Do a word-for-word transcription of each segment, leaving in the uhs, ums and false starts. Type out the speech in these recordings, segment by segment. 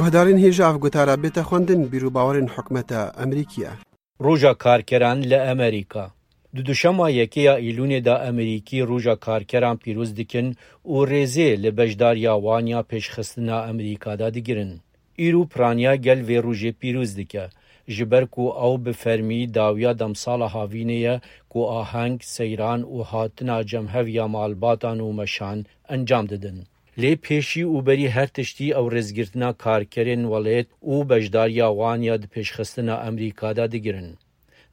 Guhdarên hêja ev gotara bête xwendin, bîr û bawerên hikûmeta Amerîkî ye. Roja Karkeran li Amerîka. Di duşema yekê ya Îlûnê de Amerîkî Roja Karkeran pîroz dikin û rêzê li beşdariya wan ya pêşxistina Amerîka de digirin. Îro piraniya gel vê rojê pîroz dike, ji ber ku ew bi fermî dawiya demsala havînê ye ku aheng, seyran û hatina cem hev ya malbatan û meşan encam didin. Lê pêşî û berî her tiştî ew rêzgirtina karkerên welêt û beşdariya wan ya di pêşxistina Amerîka de digirin.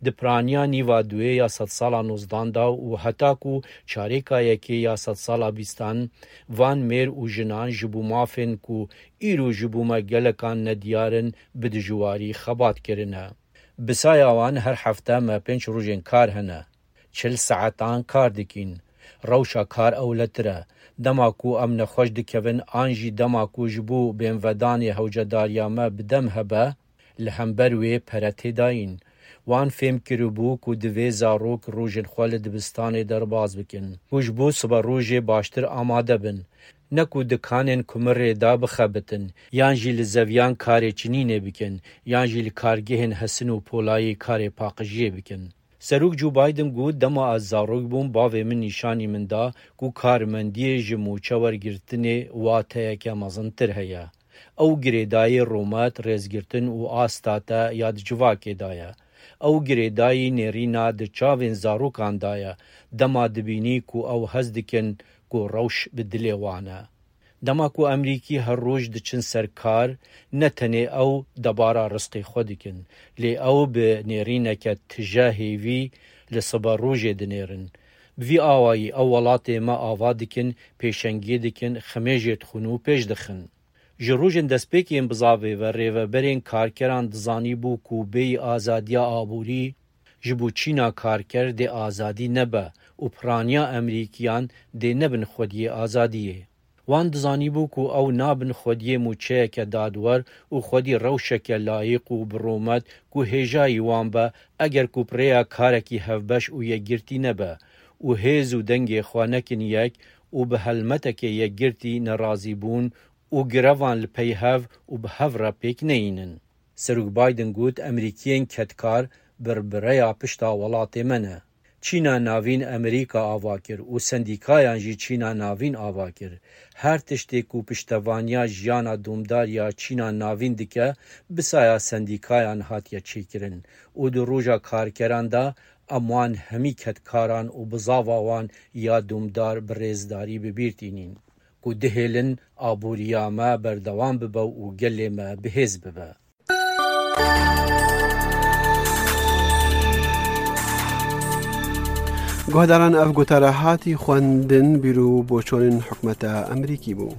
Di piraniya nîva duê ya sedsala nozdan de û heta ku çarêka yekê ya sedsala bîstan, van mêr û jinan ji bo mafên ku îro ji bo me gelekan nediyar in, bi dijwarî xebat kirine. Bi saya wan her hefte me pênc rojên kar hene. Çil saetan kar dikîn. Rewşa kar ewletir e. Dema ku em nexweş dikevin an jî dema ku ji bo bênvedanê hewcedariya me bi dem hebe, li hember wê pere têdayîn. Wan fêm kiribû ku divê zarok rojên xwe li dibistanê derbas bikin, ku ji bo sibe rojê baştir amade bin. Ne ku di kanên kumirê de bixebitin, yan jî li zeviyan karê çinînê bikin, yan jî li kargehên hesin û polayî karê paqijiyê bikin. Serok Joe Biden got, dema ez zarok bûm, bavê min nîşanî min da ku karmendiyê ji mûçe wergirtinê wateyeke mezintir heye. Ew girêdayî rûmet, rêzgirtin û asta te ya di civakê de ye. Ew girêdayî nêrîna di çavên zarokan de ye, dema dibînî ku ew hez dikin ku rewş bi dilê wan e. Dema ku Amerîkî her roj diçin ser kar, ne tenê ew debara rizqê xwe dikin, lê ew bi nêrîneke tije hêvî li sibe rojê dinêrin. Bi vî awayî ew welatê me ava dikin, pêşengiyê dikin, ximê jê dixwin û pêş dixin. Ji rojên destpêkê yên bizavê ve rêveberên karkeran dizanîbû ku bêyî azadiya aborî, ji bo çîna karker dê azadî nebe û piraniya Amerîkiyan dê nebin xwediyê azadiyê. Wan dizanîbû ku ew nabin xwediyê mûçeyeke dadwer û xwedî rewşeke layîq û bi rûmet ku hêjayî wan be, eger ku bi rêya karekî hevbeş û yekgirtî nebe û hêz û dengê xwe nekin yek û bi helmetekê yekgirtî nerazîbûn û grevan li pey hev û bi hev re pêk neyînin. Serok Biden got, Emerîkiyên kedkar birbireya pişta welatê me ne. Çîna Navîn Emerîka ava kir û sendîkayan jî Çîna Navîn ava kir. Her tiştê ku piştevaniya jiyana domdar ya Çîna Navîn dike, bi saya sendîkayan hatiye çêkirin û di roja karkeran de em wan hemî kedkaran û bizava wan ya domdar bi rêzdarî bi bîr tînîn, ku dihêlin aboriya me berdewam bibe û gelê me bihêz bibe. Guhdaran, ev gotara hatî xwendin, bîr û boçonên hikûmeta Amerîkî bû.